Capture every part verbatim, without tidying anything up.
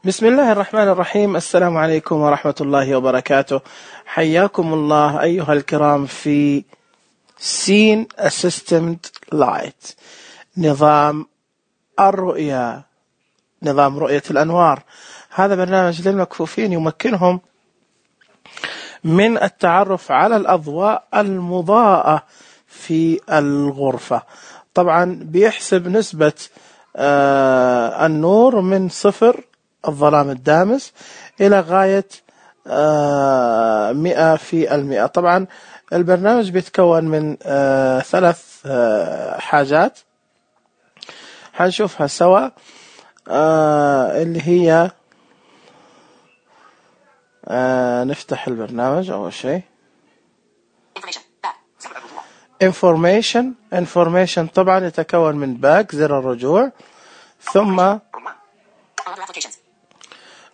بسم الله الرحمن الرحيم. السلام عليكم ورحمة الله وبركاته. حياكم الله أيها الكرام في Scene Assistant Light، نظام الرؤية، نظام رؤية الأنوار. هذا برنامج للمكفوفين يمكنهم من التعرف على الأضواء المضاءة في الغرفة. طبعا بيحسب نسبة آه النور من صفر الظلام الدامس إلى غاية آه مئة في المئة. طبعا البرنامج بيتكون من آه ثلاث آه حاجات هنشوفها سوا، آه اللي هي آه نفتح البرنامج. أول شيء information information طبعا يتكون من باك زر الرجوع، ثم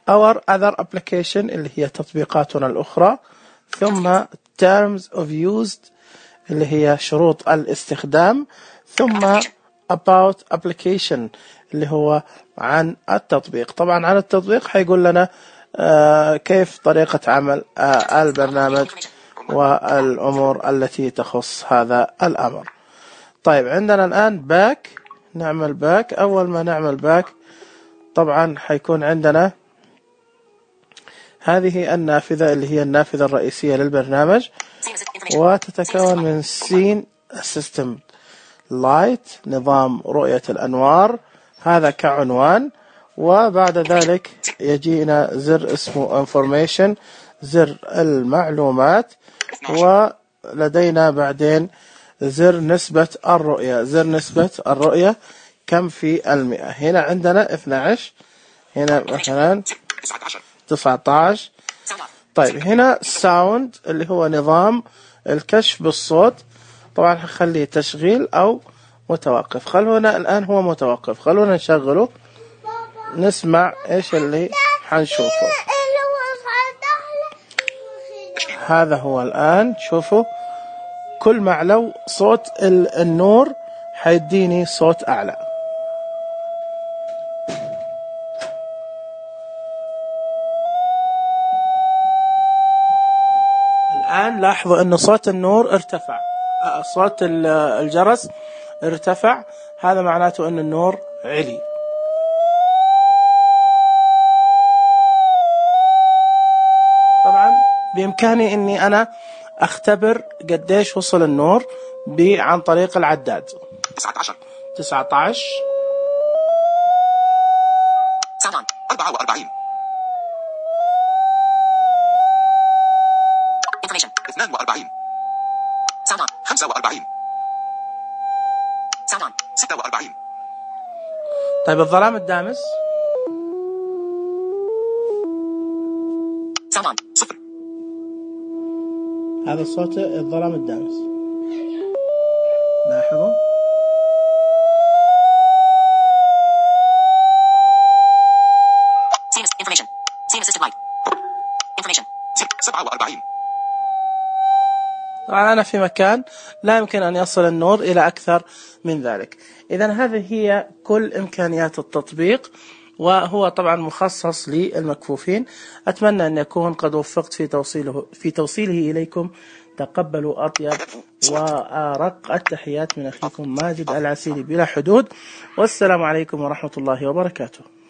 our other application اللي هي تطبيقاتنا الأخرى، ثم terms of use اللي هي شروط الاستخدام، ثم about application اللي هو عن التطبيق. طبعا عن التطبيق حيقول لنا آه كيف طريقة عمل آه البرنامج والأمور التي تخص هذا الأمر. طيب عندنا الآن باك، نعمل باك. أول ما نعمل باك طبعا حيكون عندنا هذه النافذة اللي هي النافذة الرئيسية للبرنامج، وتتكون من Scene Assistant Light، نظام رؤية الأنوار، هذا كعنوان. وبعد ذلك يجينا زر اسمه Information، زر المعلومات، ولدينا بعدين زر نسبة الرؤية. زر نسبة الرؤية كم في المئة؟ هنا عندنا اثني عشر، هنا مثلا تسعة عشر. طيب هنا ساوند اللي هو نظام الكشف بالصوت، طبعا هنخليه تشغيل أو متوقف. خلونا الآن هو متوقف، خلونا نشغله نسمع إيش اللي حنشوفه. هذا هو الآن، شوفوا كل ما علو صوت النور حيديني صوت أعلى. الآن لاحظوا أن صوت النور ارتفع، صوت الجرس ارتفع، هذا معناته أن النور علي. طبعا بإمكاني أني أنا أختبر قديش وصل النور عن طريق العداد. تسعة عشر تسعة عشر أربعة وأربعين اثنان وأربعين خمسة وأربعين ستة وأربعين. طيب الظلام الدامس صفر، هذا صوت الظلام الدامس، لاحظوا. سبعة وأربعين. طبعا أنا في مكان لا يمكن أن يصل النور إلى أكثر من ذلك. إذن هذه هي كل إمكانيات التطبيق، وهو طبعا مخصص للمكفوفين. أتمنى أن يكون قد وفقت في توصيله في توصيله إليكم. تقبلوا أطيب وأرق التحيات من أخيكم ماجد العسيلي بلا حدود، والسلام عليكم ورحمة الله وبركاته.